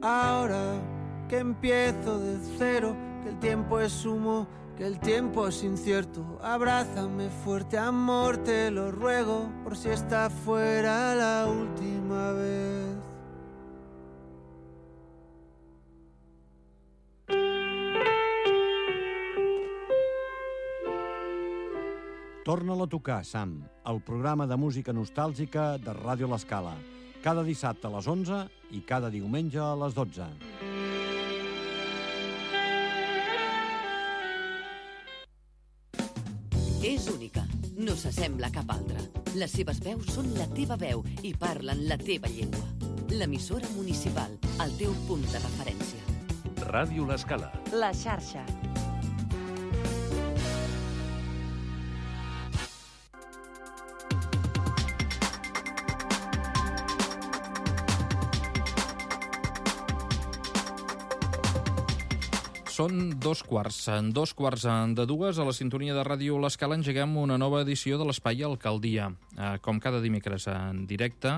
ahora que empiezo de cero, que el tiempo es humo, que el tiempo es incierto. Abrázame fuerte, amor, te lo ruego, por si esta fuera la última vez. Torna-la a tocar, Sam, el programa de música nostàlgica de Ràdio L'Escala. Cada dissabte a les 11 i cada diumenge a les 12. És única, no s'assembla a cap altra. Les seves veus són la teva veu i parlen la teva llengua. L'emissora municipal, el teu punt de referència. Ràdio L'Escala. La xarxa. Són dos quarts de dues, a la sintonia de Ràdio L'Escala engeguem una nova edició de l'Espai Alcaldia, com cada dimecres en directe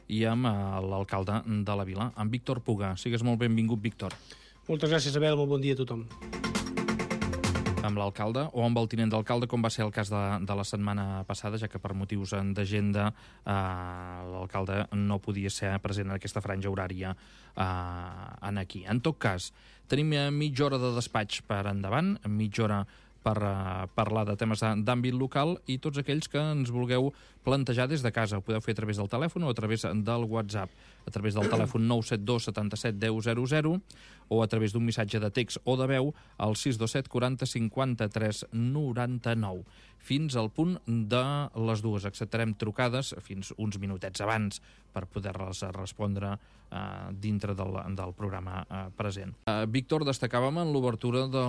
i amb l'alcalde de la vila, amb Víctor Puga. Sigues molt benvingut, Víctor. Moltes gràcies, Abel, molt bon dia a tothom. Amb l'alcalde o amb el tinent d'alcalde, com va ser el cas de la setmana passada, ja que per motius d'agenda l'alcalde no podia ser present en aquesta franja horària aquí. En tot cas, tenim mitja hora de despatx per endavant, mitja hora per parlar de temes d'àmbit local, i tots aquells que ens vulgueu plantejar des de casa. Ho podeu fer a través del telèfon o a través del WhatsApp, a través del telèfon 972 77 10 00 o a través d'un missatge de text o de veu al 627 40 53 99. Fins al punt de les dues. Acceptarem trucades fins uns minutets abans per poder-les respondre dintre del programa present. Víctor, destacàvem en l'obertura de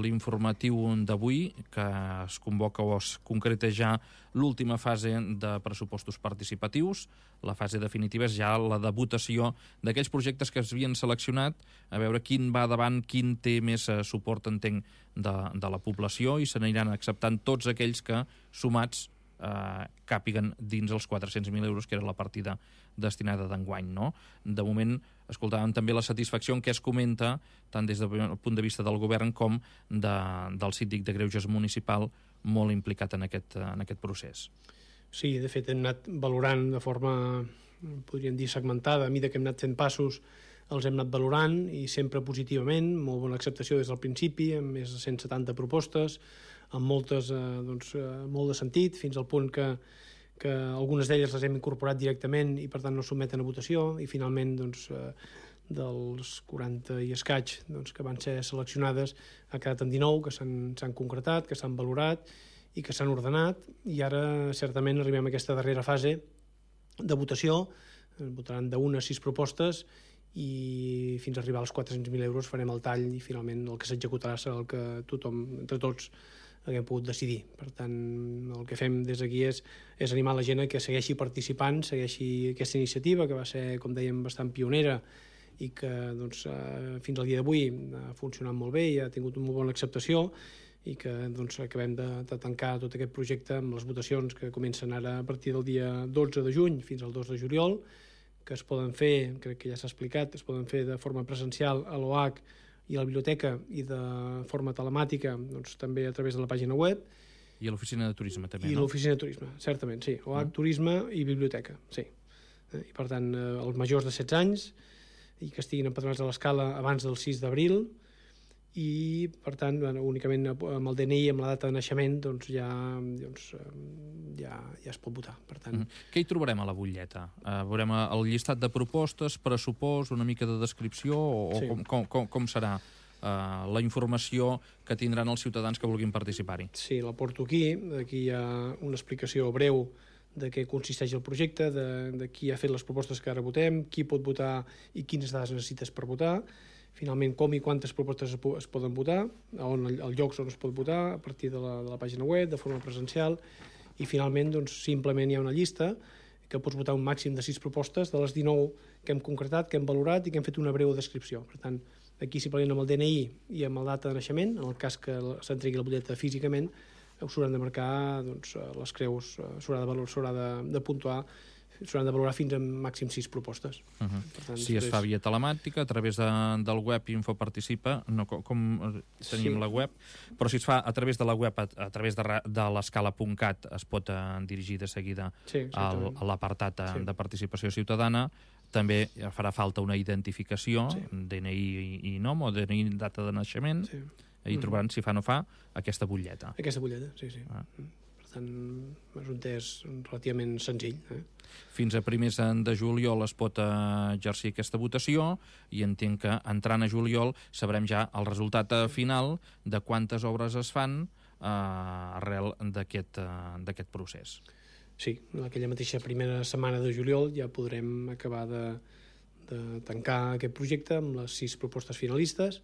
l'informatiu d'avui que es convoca o es concreta ja l'última fase de pressupostos participatius. La fase definitiva és ja la de votació d'aquells projectes que es havien seleccionat, a veure quin va davant, quin té més suport, entenc, de la població, i se n'aniran acceptant tots aquells que, sumats, càpiguen dins els 400.000 euros, que era la partida destinada d'enguany, no? De moment, escoltàvem també la satisfacció en què es comenta, tant des del punt de vista del govern com del síndic de Greuges municipal, molt implicat en aquest procés. Sí, de fet, hem anat valorant de forma, podríem dir, segmentada. A mesura que hem anat fent passos, els hem anat valorant, i sempre positivament, molt bona acceptació des del principi, amb més de 170 propostes, amb moltes, molt de sentit, fins al punt que algunes d'elles les hem incorporat directament i per tant no sotmeten a votació, i finalment dels 40 i escaig que van ser seleccionades ha quedat en 19 que s'han concretat, que s'han valorat i que s'han ordenat, i ara certament arribem a aquesta darrera fase de votació. Votaran d'1 a 6 propostes i fins a arribar als 400.000 euros farem el tall, i finalment el que s'executarà serà el que tothom, entre tots, haguem pogut decidir. Per tant, el que fem des d'aquí és animar la gent a que segueixi participant, segueixi aquesta iniciativa, que va ser, com dèiem, bastant pionera i que fins al dia d'avui ha funcionat molt bé i ha tingut una molt bona acceptació, i que acabem de tancar tot aquest projecte amb les votacions que comencen ara a partir del dia 12 de juny fins al 2 de juliol, que es poden fer, crec que ja s'ha explicat, es poden fer de forma presencial a l'OAC i a la biblioteca, i de forma telemàtica també a través de la pàgina web. I a l'oficina de turisme també, no? I l'oficina de turisme, certament, sí. OAC, turisme i biblioteca, sí. I per tant, els majors de 16 anys i que estiguin empadronats a l'Escala abans del 6 d'abril, i per tant únicament amb el DNI, amb la data de naixement, ja es pot votar. Per tant, què hi trobarem a la butlleta? Veurem el llistat de propostes, pressupost, una mica de descripció, o sí, com serà la informació que tindran els ciutadans que vulguin participar-hi? Sí, la porto aquí. Aquí hi ha una explicació breu de què consisteix el projecte, de qui ha fet les propostes que ara votem, qui pot votar i quines dades necessites per votar, finalment com i quantes propostes es poden votar, els llocs on es pot votar, a partir de la pàgina web, de forma presencial, i finalment simplement hi ha una llista que pots votar un màxim de 6 propostes de les 19 que hem concretat, que hem valorat i que hem fet una breu descripció. Per tant, aquí simplement amb el DNI i amb la data de naixement, en el cas que s'entregui la butlleta físicament, s'hauran de marcar les creus, s'haurà de puntuar, s'hauran de valorar fins a màxim 6 propostes. Per tant, si es fa via telemàtica, a través del web Infoparticipa, no, com tenim la web, però si es fa a través de la web, a través de l'escala.cat, es pot dirigir de seguida a l'apartat de participació ciutadana. També farà falta una identificació, DNI i nom, o DNI data de naixement, i trobaran, si fa o no fa, aquesta butlleta. Aquesta butlleta, sí. Per tant, és un test relativament senzill. Fins a primers de juliol es pot exercir aquesta votació i entenc que entrant a juliol sabrem ja el resultat final de quantes obres es fan arrel d'aquest procés. Sí, aquella mateixa primera setmana de juliol ja podrem acabar de tancar aquest projecte amb les 6 propostes finalistes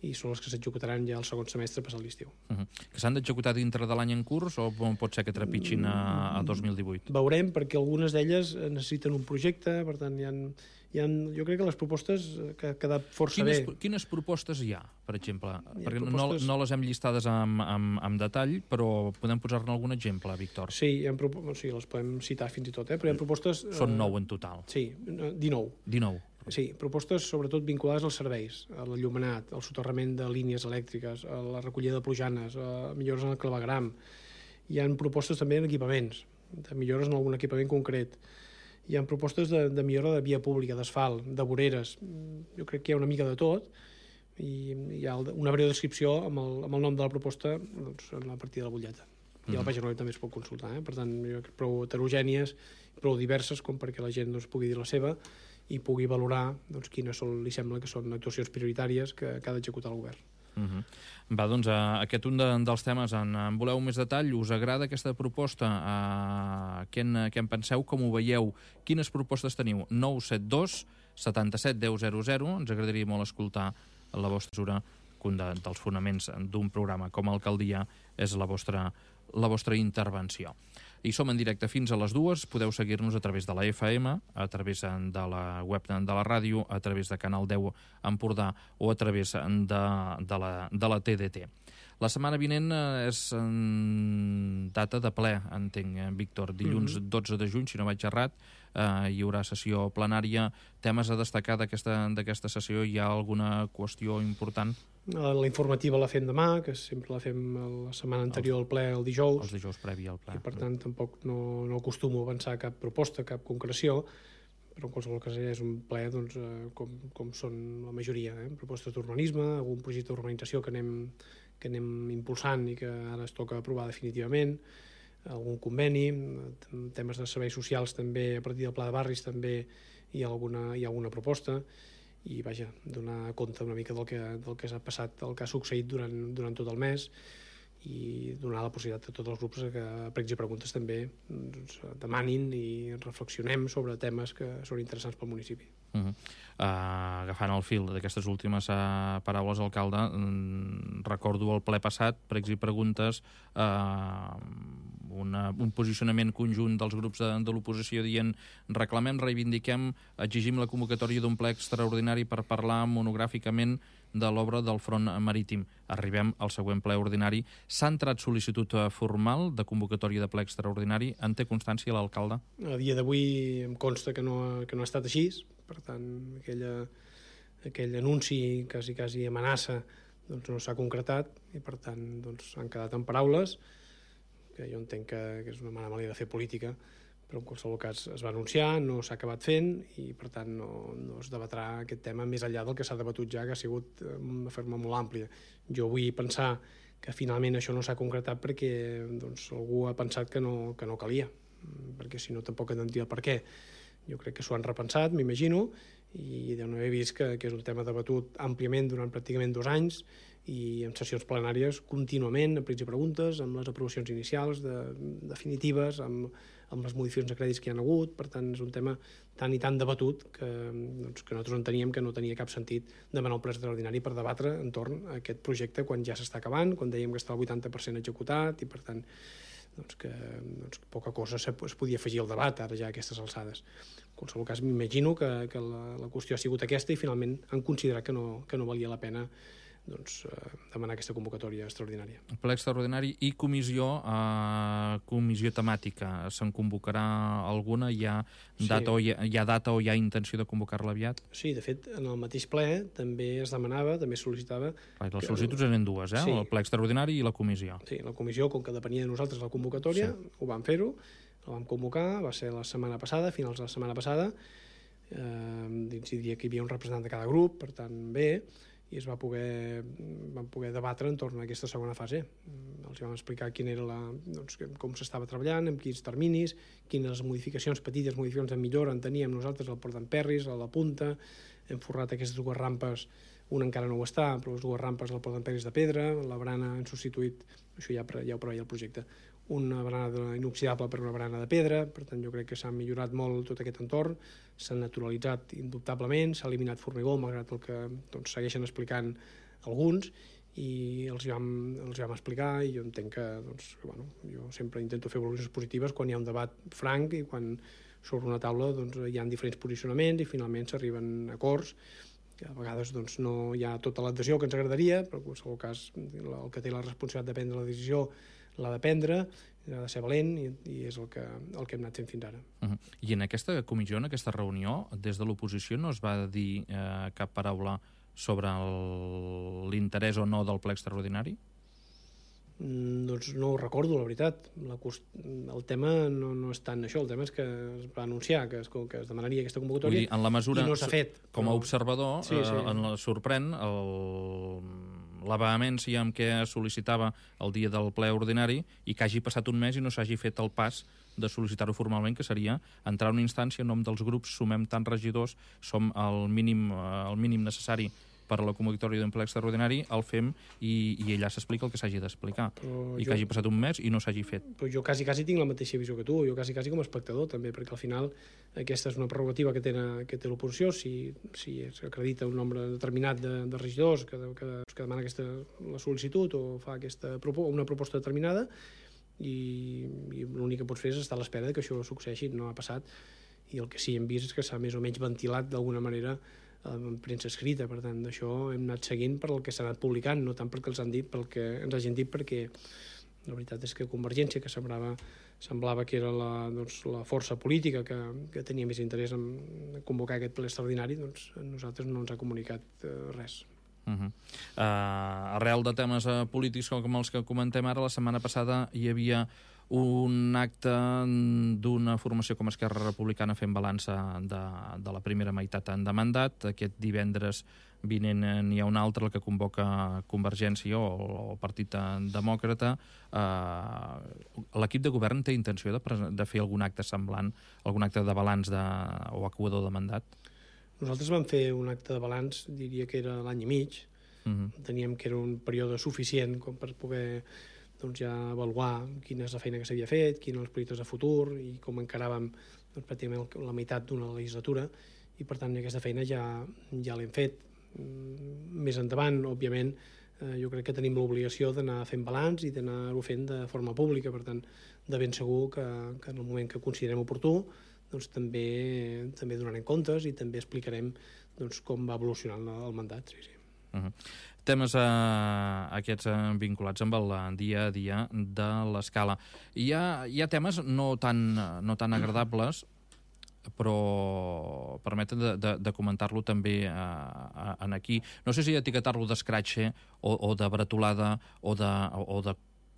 i són les que s'executaran ja el segon semestre passat l'estiu. Que s'han d'executar dintre de l'any en curs o pot ser que trepitgin a 2018? Veurem, perquè algunes d'elles necessiten un projecte, per tant jo crec que les propostes que ha quedat força bé. Quines propostes hi ha, per exemple? Perquè no les hem llistades amb detall, però podem posar-ne algun exemple, Víctor? Sí, les podem citar fins i tot, però hi ha propostes... Són 9 en total. Sí, 19. 19. Sí, propostes sobretot vinculades als serveis, a l'enllumenat, al soterrament de línies elèctriques, a la recollida de plujanes, a millores en el clavegram. Hi ha propostes també en equipaments, de millores en algun equipament concret. Hi ha propostes de millora de via pública, d'asfalt, de voreres. Jo crec que hi ha una mica de tot i hi ha una breu descripció amb el nom de la proposta en la partida de la butlleta. I a la pàgina web també es pot consultar. Per tant, jo crec prou heterogènies, prou diverses com perquè la gent pugui dir la seva i pugui valorar quines li sembla que són actuacions prioritàries que ha d'executar el govern. Va, doncs, aquest un dels temes en voleu més detall. Us agrada aquesta proposta? Què en penseu? Com ho veieu? Quines propostes teniu? 972 77 10 00. Ens agradaria molt escoltar la vostra mesura. Un dels fonaments d'un programa com Alcaldia és la vostra intervenció. I som en directe fins a les 2. Podeu seguir-nos a través de la FM, a través de la web de la ràdio, a través de Canal 10 Empordà o a través de la TDT. La setmana vinent és data de ple, entenc, Víctor. Dilluns 12 de juny, si no vaig errat, hi haurà sessió plenària. Temes a destacar d'aquesta sessió? Hi ha alguna qüestió important? La informativa la fem demà, que sempre la fem la setmana anterior al ple, el dijous. Els dijous previ al ple. I per tant tampoc no acostumo a avançar cap proposta, cap concreció, però en qualsevol cas és un ple com són la majoria. Propostes d'urbanisme, algun projecte d'urbanització que anem impulsant i que ara es toca aprovar definitivament, algun conveni, temes de serveis socials també, a partir del pla de barris també hi ha alguna proposta, i vaja, donar compte una mica del que s'ha passat, del que ha succeït durant tot el mes i donar la possibilitat a tots els grups que a pregs i preguntes també demanin i reflexionem sobre temes que són interessants pel municipi. Agafant el fil d'aquestes últimes paraules, alcalde, recordo el ple passat, pregs i preguntes, un posicionament conjunt dels grups de l'oposició dient reclamem, reivindiquem, exigim la convocatòria d'un ple extraordinari per parlar monogràficament de l'obra del front marítim. Arribem al següent ple ordinari. S'ha entrat sol·licitud formal de convocatòria de ple extraordinari? En té constància l'alcalde? A dia d'avui em consta que no ha estat així. Per tant, aquell anunci, quasi amenaça, no s'ha concretat i per tant han quedat en paraules, que jo entenc que és una mala manera de fer política, però en qualsevol cas es va anunciar, no s'ha acabat fent i per tant no es debatrà aquest tema més enllà del que s'ha debatut ja, que ha sigut de forma molt àmplia. Jo vull pensar que finalment això no s'ha concretat perquè algú ha pensat que no calia, perquè si no tampoc entendria per què. Jo crec que s'ho han repensat, m'imagino, i de no he vist que és un tema debatut àmpliament durant pràcticament 2 anys i en sessions plenàries contínuament, amb pregs i preguntes, amb les aprovacions inicials definitives, amb les modificacions de crèdits que hi ha hagut. Per tant, és un tema tan i tan debatut que nosaltres enteníem que no tenia cap sentit demanar un ple extraordinari per debatre entorn a aquest projecte quan ja s'està acabant, quan dèiem que està el 80% executat i, per tant, que poca cosa es podia afegir al debat ara ja a aquestes alçades. En qualsevol cas, m'imagino que la qüestió ha sigut aquesta i finalment han considerat que no valia la pena demanar aquesta convocatòria extraordinària. Ple extraordinari i comissió temàtica. Se'n convocarà alguna? Hi ha data o hi ha intenció de convocar-la aviat? Sí, de fet, en el mateix ple també es demanava, també es sol·licitava... Les sol·licituds eren dues, Sí. El ple extraordinari i la comissió. Sí, la comissió, com que depenia de nosaltres la convocatòria, ho vam fer-ho, la vam convocar, va ser la setmana passada, finals de la setmana passada, diria que hi havia un representant de cada grup, per tant, bé, i vam poder debatre entorn a aquesta segona fase. Els vam explicar quina era com s'estava treballant, amb quins terminis, quines modificacions, petites modificacions de millora en teníem nosaltres al Port d'Emperris, a la Punta, hem forrat aquestes dues rampes, una encara no ho està, però les dues rampes del Port d'Emperris de pedra, la barana han substituït, això ja ho preveia el projecte, una barana inoxidable per una barana de pedra, per tant jo crec que s'ha millorat molt tot aquest entorn, s'ha naturalitzat indubtablement, s'ha eliminat formigó, malgrat el que segueixen explicant alguns, i els vam explicar, i jo entenc que jo sempre intento fer valoracions positives quan hi ha un debat franc i quan sobre una taula hi ha diferents posicionaments i finalment s'arriben a acords, que a vegades no hi ha tota l'adhesió que ens agradaria, però en qualsevol cas el que té la responsabilitat de prendre la decisió l'ha de prendre, ha de ser valent, i és el que hem anat fent fins ara. I en aquesta comissió, en aquesta reunió, des de l'oposició no es va dir cap paraula sobre l'interès o no del ple extraordinari? Doncs no ho recordo, la veritat. El tema no és tant això, el tema és que es va anunciar que es demanaria aquesta convocatòria, en la mesura, i no s'ha fet. Com a observador, sorprèn la vehemència amb què es sol·licitava el dia del ple ordinari i que hagi passat un mes i no s'hagi fet el pas de sol·licitar-ho formalment, que seria entrar a una instància en nom dels grups, sumem tants regidors, som el mínim necessari per a la convocatòria d'un ple extraordinari, el fem i allà s'explica el que s'hagi d'explicar. Que hagi passat un mes i no s'hagi fet. Però jo quasi tinc la mateixa visió que tu, jo quasi com a espectador també, perquè al final aquesta és una prerrogativa que té l'oposició, si s'acredita un nombre determinat de regidors que demana la sol·licitud o fa una proposta determinada, i l'únic que pots fer és estar a l'espera que això succeeixi. No ha passat, i el que sí hem vist és que s'ha més o menys ventilat d'alguna manera en premsa escrita. Per tant, d'això hem anat seguint per el que s'ha anat publicant, no tant perquè els han dit, pel que ens hagin dit, perquè la veritat és que Convergència, que semblava que era la força política que tenia més interès en convocar aquest ple extraordinari, doncs a nosaltres no ens ha comunicat res. Arrel de temes polítics com els que comentem ara, la setmana passada hi havia un acte d'una formació com Esquerra Republicana fent balança de la primera meitat de mandat. Aquest divendres vinent n'hi ha un altre, el que convoca Convergència o el Partit Demòcrata. L'equip de govern té intenció de fer algun acte semblant, algun acte de balanç o equador de mandat? Nosaltres vam fer un acte de balanç, diria que era l'any i mig. Teníem que era un període suficient com per poder ja avaluar quina és la feina que s'havia fet, quins eren els projectes de futur i com encaràvem pràcticament la meitat d'una legislatura, i per tant aquesta feina ja l'hem fet. Més endavant, òbviament, jo crec que tenim l'obligació d'anar fent balanç i d'anar-ho fent de forma pública, per tant, de ben segur que en el moment que considerem oportú també donarem comptes i també explicarem com va evolucionant el mandat. Temes aquests vinculats amb el dia a dia de l'Escala. Hi ha temes no tan agradables, però permeten de comentar-lo també aquí. No sé si etiquetar-lo d'escratxe o de bretolada o de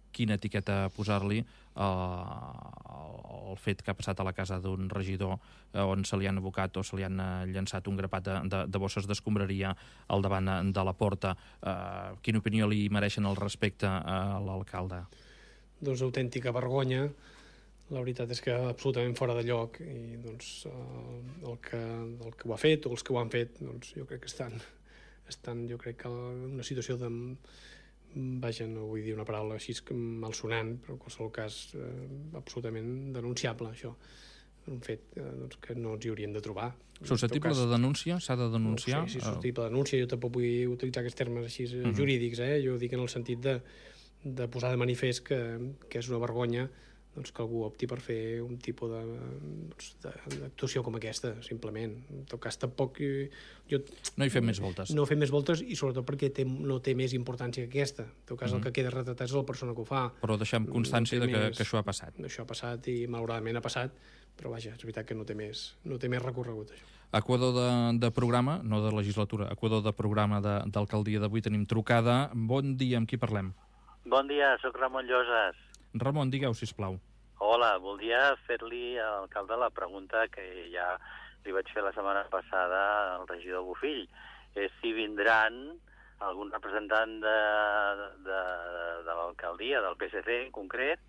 quina etiqueta posar-li el fet que ha passat a la casa d'un regidor on se li han abocat o se li han llançat un grapat de bosses d'escombraria al davant de la porta. Quina opinió li mereixen al respecte a l'alcalde? Doncs autèntica vergonya. La veritat és que absolutament fora de lloc, i el que ho ha fet o els que ho han fet jo crec que estan jo crec que en una situació de... Vaja, no vull dir una paraula així malsonant, però en qualsevol cas absolutament denunciable, això. Un fet que no ens hi hauríem de trobar. Susceptible de denúncia? S'ha de denunciar? Sí, susceptible de denúncia. Jo tampoc vull utilitzar aquests termes així jurídics, Jo dic en el sentit de posar de manifest que és una vergonya doncs, que algú opti per fer un tipus d'actuació com aquesta, simplement. En tot cas, tampoc... No hi fem més voltes. No fem més voltes i sobretot perquè no té més importància que aquesta. En tot cas, el que queda retratat és la persona que ho fa. Però deixem constància que això ha passat. Això ha passat i malauradament ha passat, però vaja, és veritat que no té més recorregut, això. Equador de programa, no de legislatura, Equador de programa d'alcaldia d'avui tenim trucada. Bon dia, amb qui parlem? Bon dia, sóc Ramon Lloses. Ramon, digueu, sisplau. Hola, voldria fer-li a l'alcalde la pregunta que ja li vaig fer la setmana passada al regidor Bofill. És si vindran algun representant de l'alcaldia, del PSC en concret,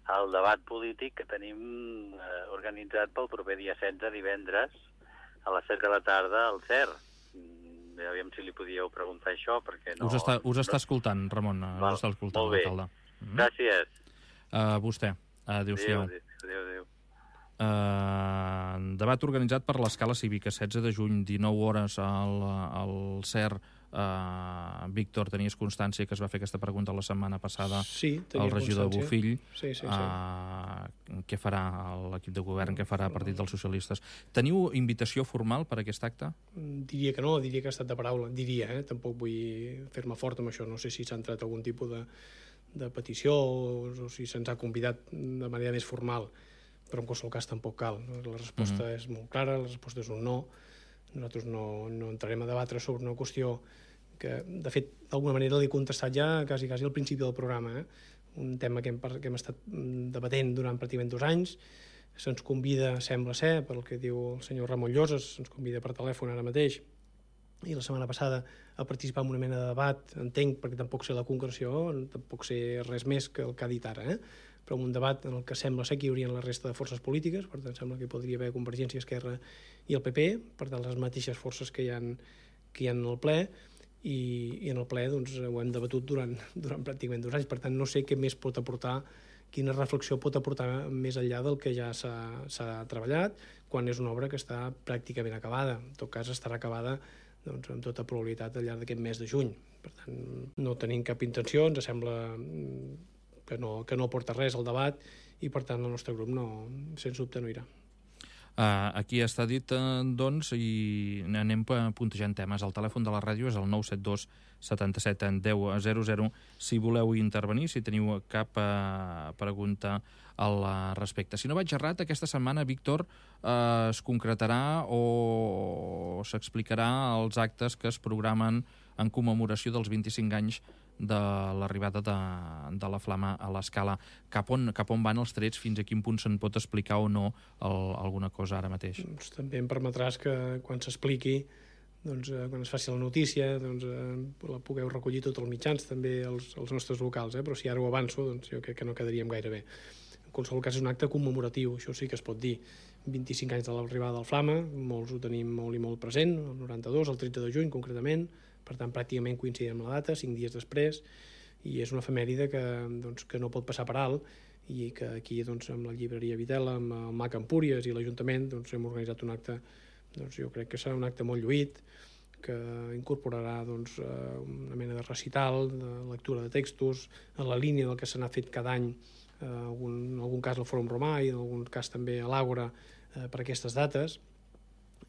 al debat polític que tenim organitzat pel proper dia 16, divendres, a les 7 de la tarda, al CER. Aviam si li podíeu preguntar això, perquè no... Us està escoltant, Ramon. Us està escoltant, molt bé. l'alcalde. Gràcies. Vostè. Adéu-siau. Adéu. Debat organitzat per l'Escala Cívica, 16 de juny, 19 hores al CER. Víctor, tenies constància que es va fer aquesta pregunta la setmana passada al regidor Bofill. Sí. Què farà l'equip de govern, què farà el Partit dels Socialistes? Teniu invitació formal per a aquest acte? Diria que no, diria que ha estat de paraula. Diria, tampoc vull fer-me fort amb això. No sé si s'ha entrat algun tipus de petició o si se'ns ha convidat de manera més formal, però en qualsevol cas tampoc cal. La resposta és molt clara, la resposta és un no. Nosaltres no entrarem a debatre sobre una qüestió que, de fet, d'alguna manera l'he contestat ja quasi al principi del programa. Un tema que hem estat debatent durant pràcticament 2 anys. Se'ns convida, sembla ser, pel que diu el senyor Ramon Lloses, se'ns convida per telèfon ara mateix, i la setmana passada a participar en una mena de debat, entenc, perquè tampoc sé la concreció, tampoc sé res més que el que ha dit ara, però un debat en el que sembla ser que hi haurien la resta de forces polítiques, per tant sembla que hi podria haver Convergència, Esquerra i el PP, per tant les mateixes forces que hi ha en el ple, i en el ple doncs, ho hem debatut durant pràcticament 2 anys, per tant no sé què més pot aportar, quina reflexió pot aportar més enllà del que ja s'ha treballat, quan és una obra que està pràcticament acabada. En tot cas estarà acabada doncs, amb tota probabilitat al llarg d'aquest mes de juny. Per tant, no tenim cap intenció, ens sembla que no aporta res al debat i per tant el nostre grup sens dubte no irà. Aquí està dit, doncs, i anem puntejant temes. El telèfon de la ràdio és el 972 77 10 00. Si voleu intervenir, si teniu cap pregunta al respecte. Si no vaig errat, aquesta setmana, Víctor, es concretarà o s'explicarà els actes que es programen en commemoració dels 25 anys de l'arribada de la Flama a l'Escala. Cap on van els trets? Fins a quin punt se'n pot explicar o no alguna cosa ara mateix? Doncs també em permetràs que quan s'expliqui, doncs, quan es faci la notícia, doncs, la pugueu recollir tots els mitjans, també els nostres locals, però si ara ho avanço, doncs jo crec que no quedaríem gaire bé. En qualsevol cas és un acte commemoratiu, això sí que es pot dir. 25 anys de l'arribada del Flama, molts ho tenim molt i molt present, el 92, el 13 de juny concretament, per tant pràcticament coincidim amb la data, 5 dies després, i és una efemèride que no pot passar per alt, i que aquí doncs, amb la llibreria Vitela, amb el MAC Empúries i l'Ajuntament doncs, hem organitzat un acte, doncs, jo crec que serà un acte molt lluït, que incorporarà doncs, una mena de recital, de lectura de textos, en la línia del que s'ha fet cada any, en algun cas al Fòrum Romà i en algun cas també a l'Àgora per aquestes dates,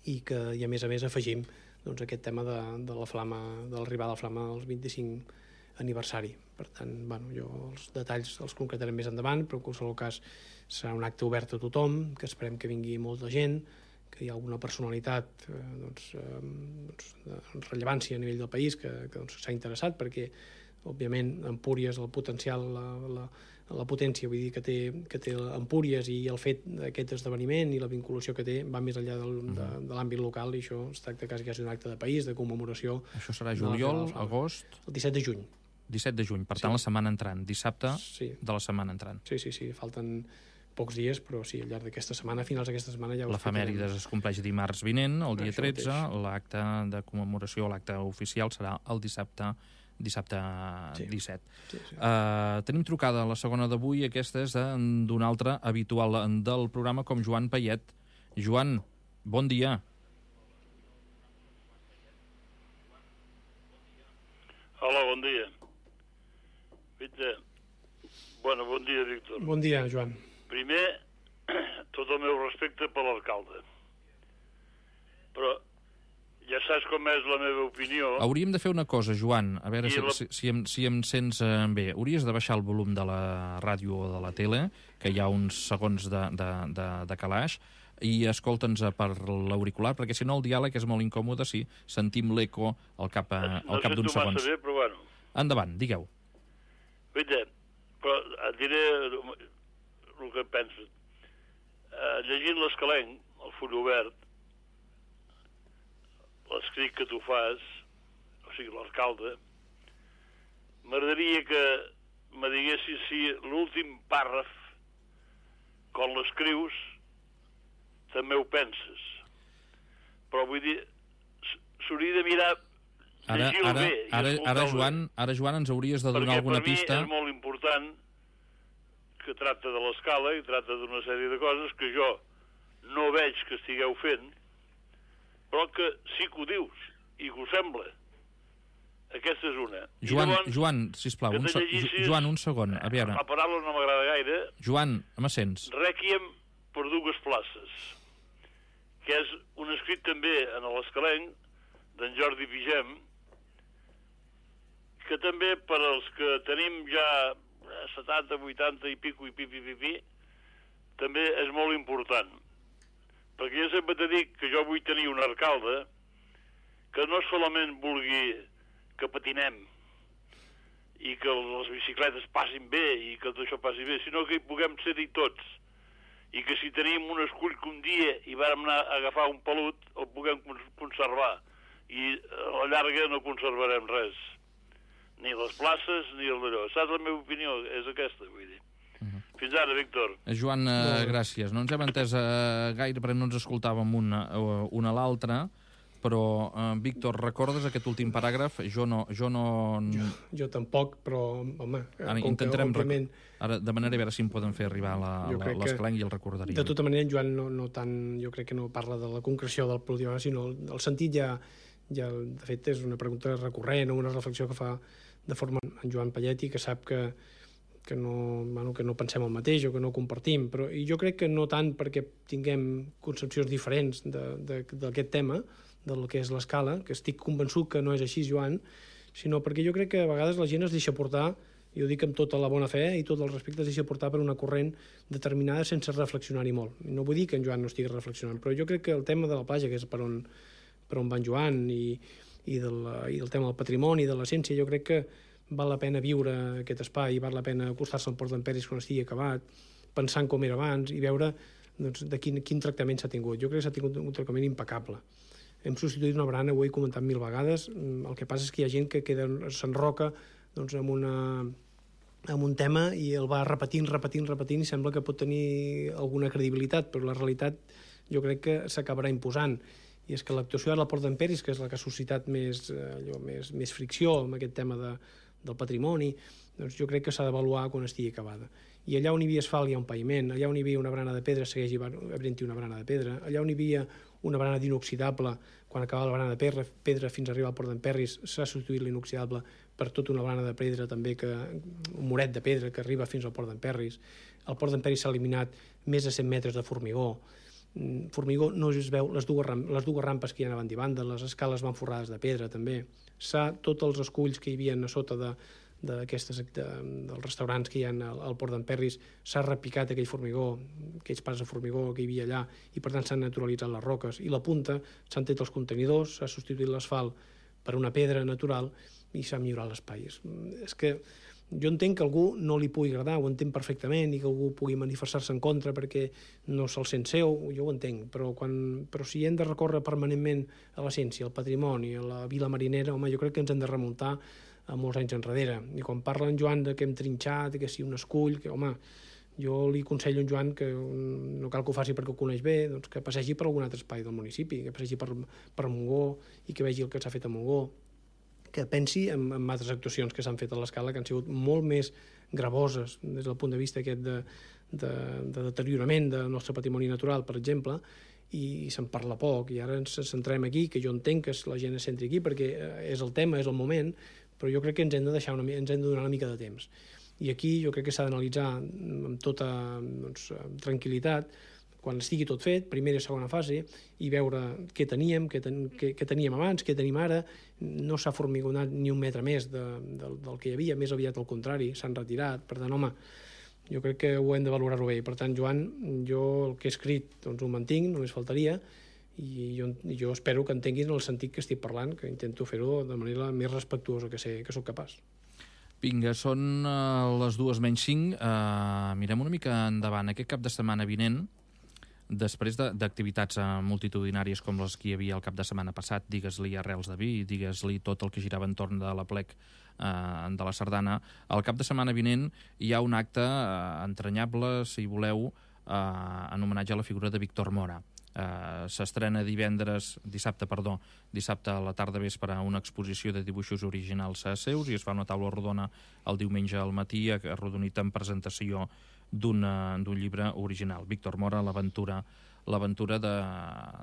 i a més afegim doncs, aquest tema de la Flama, de l'arribada de la Flama als 25 aniversari. Per tant, jo els detalls els concretarem més endavant, però en qualsevol cas serà un acte obert a tothom, que esperem que vingui molta gent, que hi ha alguna personalitat de rellevància a nivell del país que s'ha interessat, perquè òbviament Empúries, el potencial, la potència, vull dir, que té Empúries i el fet d'aquest esdeveniment i la vinculació que té va més enllà de l'àmbit local, i això es tracta quasi d'un acte de país, de commemoració. Això serà juliol, agost? El 17 de juny. 17 de juny, per tant la setmana entrant, dissabte de la setmana entrant. Sí, falten pocs dies, però sí, al llarg d'aquesta setmana, a finals d'aquesta setmana ja ho l'efemèride es compleix dimarts vinent, el dia 13, l'acte de commemoració, l'acte oficial serà el dissabte 17. Sí. Tenim trucada la segona d'avui, aquesta és d'un altre habitual del programa com Joan Payet. Joan, bon dia. Hola, bon dia. Bon dia, Víctor. Bon dia, Joan. primer, tot el meu respecte per l'alcalde. Però ja saps com és la meva opinió. Hauríem de fer una cosa, Joan, a veure si em sents bé. Hauries de baixar el volum de la ràdio o de la tele, que hi ha uns segons de calaix, i escolta'ns per l'auricular, perquè si no el diàleg és molt incòmode si sentim l'eco al cap d'uns segons. No sé bé, però bueno. Endavant, digueu. Guaita, però et diré el que penso. Llegint l'Escalenc, el full obert, l'escrit que tu fas, o sigui, l'alcalde, m'agradaria que me diguessis si l'últim pàrraf, quan l'escrius, també ho penses. Però vull dir, s'hauria de mirar, llegir-ho bé i escoltar-ho bé. Ara, Joan, ens hauries de donar alguna pista. Perquè per mi és molt important que tracta de l'escala i tracta d'una sèrie de coses que jo no veig que estigueu fent, però que sí que ho dius i que ho sembla. Aquesta és una. Joan, sisplau, Joan, un segon, a veure. La paraula no m'agrada gaire. Joan, me sents? Rèquiem per dues places, que és un escrit també en l'Escalenc d'en Jordi Vigem, que també per als que tenim ja 70, 80 i pico i pipi, també és molt important. Perquè jo sempre t'he dit que jo vull tenir un alcalde que no solament vulgui que patinem i que les bicicletes passin bé i que tot això passi bé, sinó que hi puguem ser-hi tots. I que si tenim un escull que un dia hi vam anar a agafar un pelut, el puguem conservar. I a la llarga no conservarem res. Ni les places, ni el d'allò. Saps la meva opinió? És aquesta, vull dir. Fins ara, Víctor. Joan, gràcies. No ens hem entès gaire perquè no ens escoltàvem un a l'altre, però, Víctor, recordes aquest últim paràgraf? Jo Jo tampoc, però, home... Intentarem... Ara demanaré a veure si em poden fer arribar l'Escalenc i el recordaríem. De tota manera, en Joan no tant... Jo crec que no parla de la concreció del polític, sinó el sentit ja... De fet, és una pregunta recurrent o una reflexió que fa de forma en Joan Palletti, que sap que no pensem el mateix o que no compartim, però jo crec que no tant perquè tinguem concepcions diferents d'aquest tema, del que és l'escala, que estic convençut que no és així, Joan, sinó perquè jo crec que a vegades la gent es deixa portar, i ho dic amb tota la bona fe i tot el respecte, es deixa portar per una corrent determinada sense reflexionar-hi molt. No vull dir que en Joan no estigui reflexionant, però jo crec que el tema de la platja, que és per on va en Joan, i del tema del patrimoni, de l'essència, jo crec que val la pena viure aquest espai, val la pena acostar-se al Port d'Emperis quan estigui acabat, pensant com era abans i veure de quin tractament s'ha tingut. Jo crec que s'ha tingut un tractament impecable. Hem substituït una barana, ho he comentat 1000 vegades, el que passa és que hi ha gent que s'enroca amb un tema i el va repetint i sembla que pot tenir alguna credibilitat, però la realitat jo crec que s'acabarà imposant. I és que l'actuació ara al Port d'Emperis, que és la que ha suscitat més fricció amb aquest tema del patrimoni, doncs jo crec que s'ha d'avaluar quan estigui acabada. I allà on hi havia asfalt hi ha un paviment, allà on hi havia una barana de pedra segueix havent-hi una barana de pedra, allà on hi havia una barana d'inoxidable, quan acabava la barana de pedra fins a arribar al Port d'Emperis, s'ha substituït l'inoxidable per tota una barana de pedra també, un muret de pedra que arriba fins al Port d'Emperis. Al Port d'Emperis s'ha eliminat més de 100 metres de formigó. Formigó no es veu, les dues rampes que hi ha a banda i banda, les escales van forrades de pedra també. Tots els esculls que hi havia a sota dels restaurants que hi ha al Port d'Emperis, s'ha repicat aquell formigó, aquells pas de formigó que hi havia allà, i per tant s'han naturalitzat les roques. I la punta s'han tret els contenidors, s'ha substituït l'asfalt per una pedra natural i s'ha millorat l'espai. És que jo entenc que a algú no li pugui agradar, ho entenc perfectament, i que algú pugui manifestar-se en contra perquè no se'l sent seu, jo ho entenc, però si hem de recórrer permanentment a l'essència, al patrimoni, a la vila marinera, home, jo crec que ens hem de remuntar a molts anys enrere. I quan parla en Joan que hem trinxat, que si un escull, que, home, jo li aconsello a en Joan que no cal que ho faci perquè ho coneix bé, doncs que passegi per algun altre espai del municipi, que passegi per Montgó i que vegi el que s'ha fet a Montgó, que pensi en altres actuacions que s'han fet a l'escala que han sigut molt més gravoses des del punt de vista aquest de deteriorament del nostre patrimoni natural, per exemple, i se'n parla poc. I ara ens centrem aquí, que jo entenc que la gent es centri aquí perquè és el tema, és el moment, però jo crec que ens hem de donar una mica de temps. I aquí jo crec que s'ha d'analitzar amb tota tranquil·litat, quan estigui tot fet, primera i segona fase, i veure què teníem, què teníem abans, què tenim ara. No s'ha formigonat ni un metre més del que hi havia, més aviat al contrari, s'han retirat. Per tant, home, jo crec que ho hem de valorar-ho bé. Per tant, Joan, jo el que he escrit doncs ho mantinc, només faltaria, i jo espero que entenguis en el sentit que estic parlant, que intento fer-ho de manera més respectuosa que sóc capaç. Vinga, són les 2:05. Mirem una mica endavant. Aquest cap de setmana vinent, després d'activitats multitudinàries com les que hi havia el cap de setmana passat, digues-li Arrels de Vi, digues-li tot el que girava entorn de l'Aplec de la Sardana, el cap de setmana vinent hi ha un acte entranyable, si voleu, en homenatge a la figura de Víctor Mora. S'estrena dissabte a la tarda vespre una exposició de dibuixos originals seus i es fa una taula rodona el diumenge al matí arrodonit en presentació d'un llibre original. Víctor Mora, l'aventura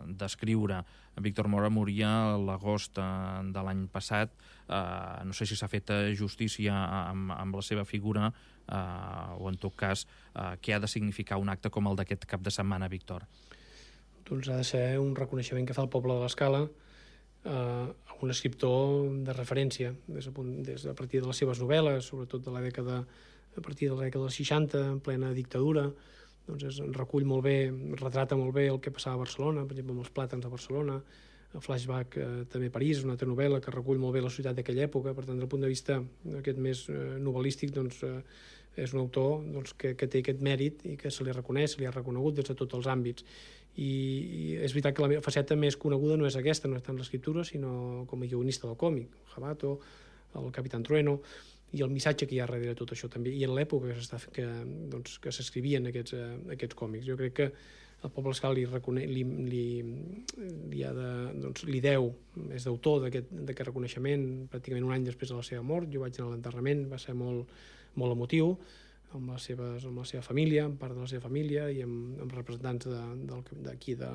d'escriure. Víctor Mora moria l'agost de l'any passat. No sé si s'ha fet justícia amb la seva figura o, en tot cas, què ha de significar un acte com el d'aquest cap de setmana, Víctor? Doncs ha de ser un reconeixement que fa el poble de l'Escala a un escriptor de referència, des a partir de les seves novel·les, sobretot a partir de la dècada dels 60, en plena dictadura. Doncs recull molt bé, retrata molt bé el que passava a Barcelona, per exemple, amb els plàtans de Barcelona, Flashback també París, una altra novel·la que recull molt bé la societat d'aquella època. Per tant, des del punt de vista aquest més novel·lístic, doncs, és un autor que té aquest mèrit i que se li reconeix, se li ha reconegut des de tots els àmbits. I és veritat que la meva faceta més coneguda no és aquesta, no és tant l'escriptura, sinó com a guionista del còmic, Jabato, el Capitán Trueno, i el missatge que hi ha darrere tot això també, i en l'època que s'escrivien aquests còmics. Jo crec que el poble escal li deu, és d'autor d'aquest reconeixement pràcticament un any després de la seva mort. Jo vaig anar a l'enterrament, va ser molt emotiu, amb la seva família, amb part de la seva família i amb representants d'aquí de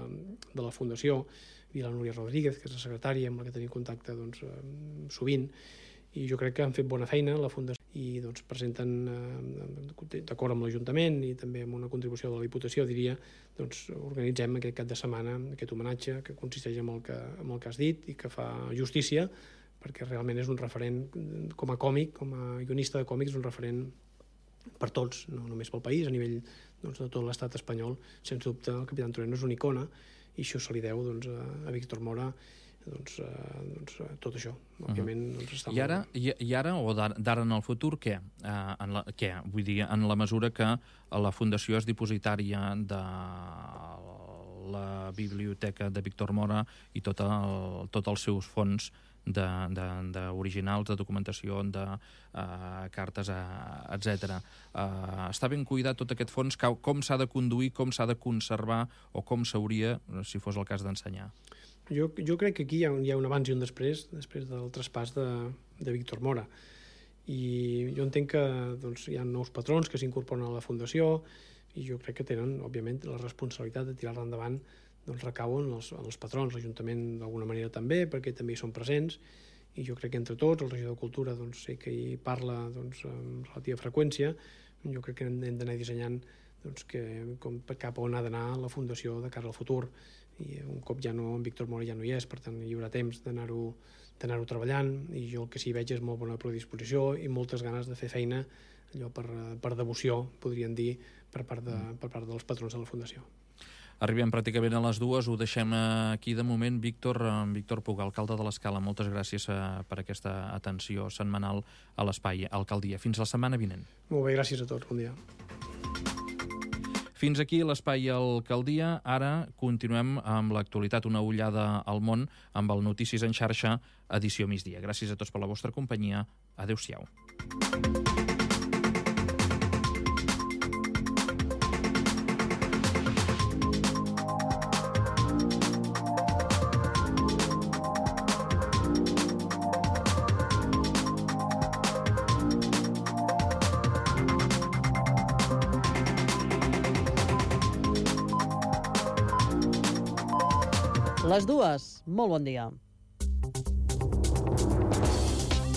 la Fundació, i la Núria Rodríguez, que és la secretària amb la que tenim contacte sovint, i jo crec que han fet bona feina la Fundació i presenten, d'acord amb l'Ajuntament i també amb una contribució de la Diputació, diria, organitzem aquest cap de setmana, aquest homenatge que consisteix en el que has dit i que fa justícia, perquè realment és un referent com a còmic, com a guionista de còmics, un referent per tots, no només pel país, a nivell de tot l'estat espanyol. Sens dubte, el Capitán Trueno és una icona i això se li deu a Víctor Mora, tot això. Òbviament, I ara, o d'ara en el futur, què? Vull dir, en la mesura que la Fundació és dipositària de la biblioteca de Víctor Mora i tots els seus fons d'originals, de documentació, de cartes, etc. Està ben cuidat tot aquest fons? Com s'ha de conduir, com s'ha de conservar o com s'hauria, si fos el cas, d'ensenyar? Jo crec que aquí hi ha un abans i un després del traspàs de Víctor Mora. I jo entenc que hi ha nous patrons que s'incorporen a la Fundació i jo crec que tenen, òbviament, la responsabilitat de tirar-la endavant recauen en els patrons, l'Ajuntament d'alguna manera també, perquè també hi són presents, i jo crec que entre tots, el regidor de Cultura sé que hi parla amb relativa freqüència. Jo crec que hem d'anar dissenyant cap on ha d'anar la Fundació de cara al futur, i un cop en Víctor Mora ja no hi és, per tant hi haurà temps d'anar-ho treballant, i jo el que sí veig és molt bona predisposició i moltes ganes de fer feina, allò per devoció, podríem dir, per part dels patrons de la Fundació. Arribem pràcticament a les 2, ho deixem aquí de moment. Víctor Puga, alcalde de l'Escala, moltes gràcies per aquesta atenció setmanal a l'Espai Alcaldia. Fins la setmana vinent. Molt bé, gràcies a tots, bon dia. Fins aquí l'Espai Alcaldia. Ara continuem amb l'actualitat, una ullada al món, amb el Notícies en xarxa, edició migdia. Gràcies a tots per la vostra companyia. Adéu-siau. Les dues, molt bon dia.